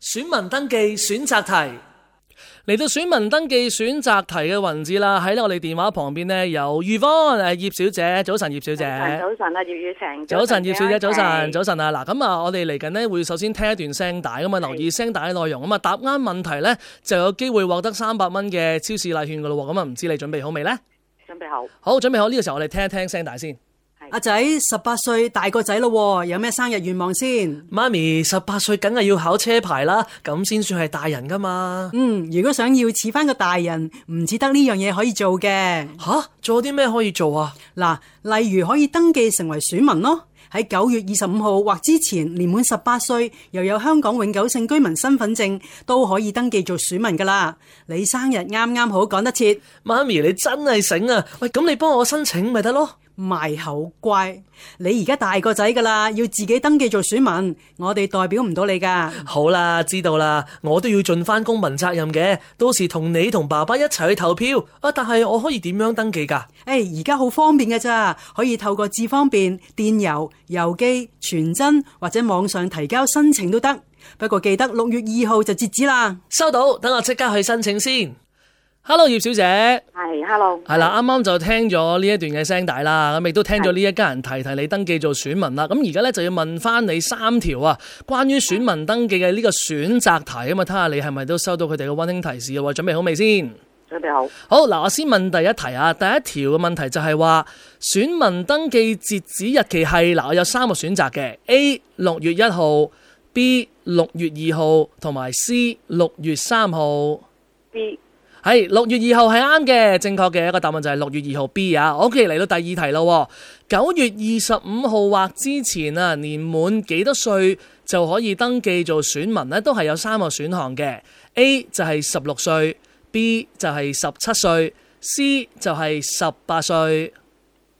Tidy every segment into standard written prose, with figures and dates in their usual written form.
選民登記選擇題。嚟到選民登記選擇題嘅環節啦，喺我哋電話旁邊呢，有余芳葉小姐，早晨葉小姐。早晨啊，葉雨晴。早晨葉小姐，早晨啊！嗱，咁啊，我哋嚟緊呢會首先聽一段聲帶，咁啊留意聲帶嘅內容，咁啊答啱問題呢就有機會獲得300蚊嘅超市禮券噶咯，咁啊唔知你準備好未呢？準備好。好，準備好，呢個時候我哋聽一聽聲帶先。阿仔18歲大個仔咯，有咩生日願望先？媽咪18歲梗係要考車牌啦，咁先算係大人噶嘛。如果想要似翻個大人，唔只得呢樣嘢可以做嘅。吓，仲有啲咩可以做啊？嗱，例如可以登記成為選民咯。喺9月25號或之前年滿18歲，又有香港永久性居民身份證，都可以登記做選民噶啦。你生日啱啱好趕得切，媽咪你真係醒啊！喂，咁你幫我申請咪得咯？賣口乖，你而家大個仔噶啦，要自己登記做選民，我哋代表唔到你噶。好啦，知道啦，我都要盡翻公民責任嘅，到時同你同爸爸一齊去投票啊！但係我可以點樣登記噶？而家好方便㗎咋，可以透過智方便、電郵、郵寄、傳真或者網上提交申請都得。不過記得6月2號就截止啦。收到，等我即刻去申請先。Hello 葉小姐，係 Hello， 係啦，啱啱就聽咗呢一段嘅聲帶啦，咁亦都聽咗呢一家人提你登記做選民啦。咁而家咧就要問翻你3條啊，關於選民登記嘅呢個選擇題啊嘛，睇下你係咪都收到佢哋嘅溫馨提示啊？準備好未先？準備好。好嗱，我先問第一題啊。第一條嘅問題就係話選民登記截止日期係嗱，我有3個選擇嘅 A 6月1號 B 6月2號同埋 C 6月3號。 B 係6月2號係啱嘅，正確嘅一個答案就係6月2號 B 啊。OK， 嚟到第二題咯。9月25號或之前啊，年滿幾多歲就可以登記做選民呢？都係有3個選項嘅。A 就係16歲 B 就係17歲 C 就係18歲。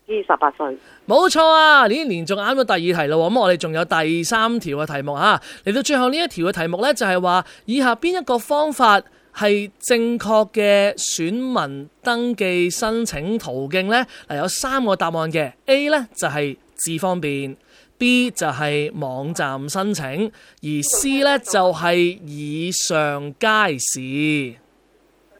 B 18歲。冇錯啊，連續啱咗第二題咯。咁我哋仲有第3條嘅題目啊。嚟到最後呢一條嘅題目呢，就係話以下邊一個方法係正確嘅選民登記申請途徑呢？有3個答案嘅。A 呢就係智方便 B 就係網站申請，而 C 呢就係以上皆是。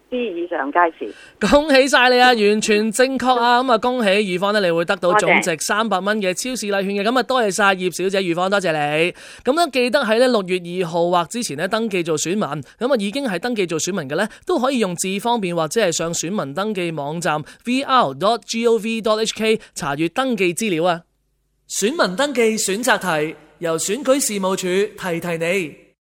B 以上皆是。恭喜晒你啊，完全正確啊！咁啊，恭喜余芳呢，你會得到總值300蚊嘅超市禮券嘅。咁啊，多謝晒葉小姐、余芳，多謝你。咁咧，記得喺6月2號或之前咧登記做選民。咁啊，已經係登記做選民嘅咧，都可以用智方便或者係上選民登記網站 vr.gov.hk 查閱登記資料啊。選民登記選擇題由選舉事務處提提你。